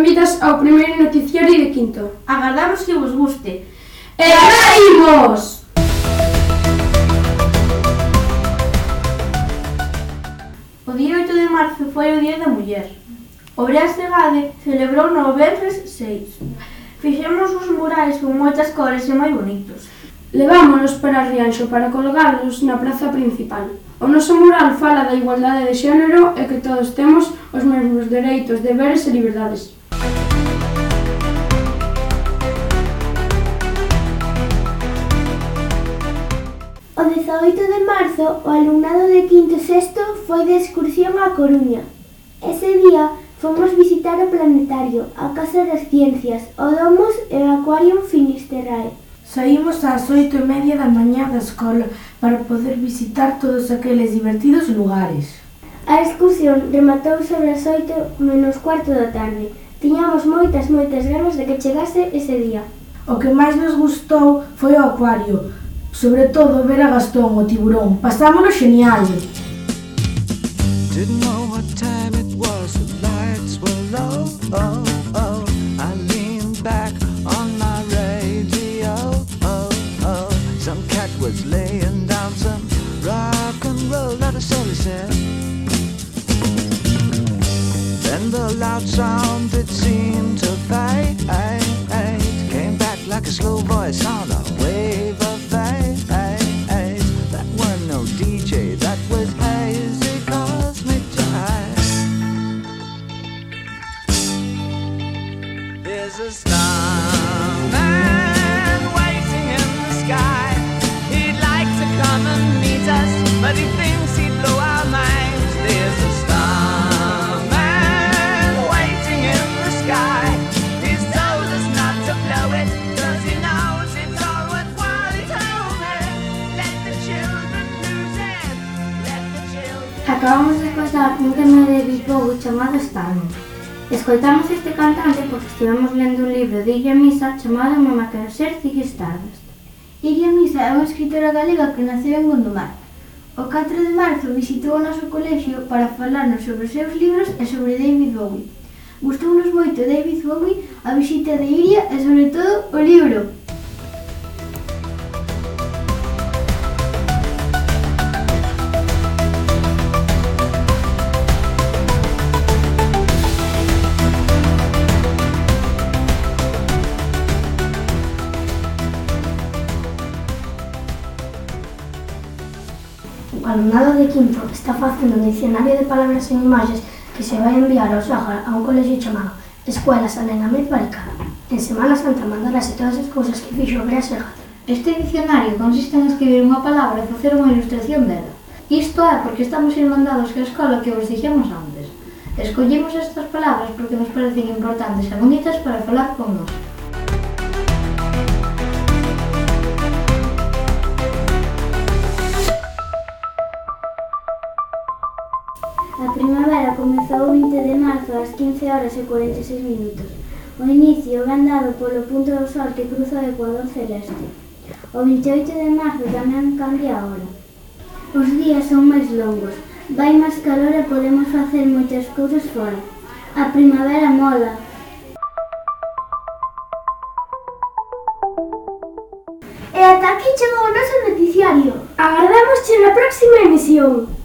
benvidas ao primeiro noticiario de Quinto. Agardamos que vos guste. E agora imos! O día 8 de marzo foi o Día da Muller. O Brás de Gade celebrou no venres 6. Fixemos uns murais con moitas cores e moi bonitos. Levámonos para Rianxo para colgarlos na praza principal. O noso mural fala da igualdade de xénero e que todos temos os mesmos dereitos, deberes e liberdades. O 18 de marzo, o alumnado de quinto e sexto foi de excursión á Coruña. Ese día fomos visitar o planetario, a Casa das Ciencias, o Domus e o Aquarium Finisterrae. Saímos ás 8:30 da mañá da escola para poder visitar todos aqueles divertidos lugares. A excursión rematou sobre as 8:45 da tarde. Tiñamos moitas ganas de que chegase ese día. O que máis nos gustou foi o acuario, sobre todo ver a Gastón, o tiburón. Pasámolo genial. Didn't know what time it was, the lights were low. Oh, oh. I leaned back on my radio. Oh, oh. Some cat was laying down some rock and roll that a silly said. Then the loud sound it seemed to fade. Came back like a slow voice on a wave of fate. That weren't no DJ, that was hazy cosmic jive. There's a starman waiting in the sky. He'd like to come and meet us, but he thinks he'd blow our minds. There's a starman waiting in the sky. He's told us not to blow it, 'cause he knows it's all worthwhile. He told me, let the children lose it, let the children. Acabamos de escoitar un tema de David Bowie chamado Starman. Escoitamos este cantante porque estivemos lendo un libro de Iria Misa chamado Mamá quero ser Ziggy Stardust. Iria Misa é unha escritora galega que naceu en Gondomar. O 4 de marzo visitou o noso colexio para falarnos sobre os seus libros e sobre David Bowie. Gustounos moito David Bowie, a visita de Iria e, sobre todo, o libro. O alumnado de quinto está facendo un dicionario de palabras e imaxes que se vai enviar ao Sáhara a un colexio chamado Escuela Salén Ahmed Baricada. En Semana Santa mandarase todas as cousas que fixo o Brás de Gade. Este dicionario consiste en escribir unha palabra e facer unha ilustración dela. Isto é porque estamos irmandados que a escola que vos dixemos antes. Escollimos estas palabras porque nos parecen importantes e bonitas para falar con nós. A primavera comezou o 20 de marzo ás 15:46. O inicio ven dado polo punto do sol que cruza o ecuador celeste. O 28 de marzo tamén cambia a hora. Os días son máis longos, vai máis calor e podemos facer moitas cousas fora. A primavera mola. E ata aquí chegou o noso noticiario. Agardamos na próxima emisión.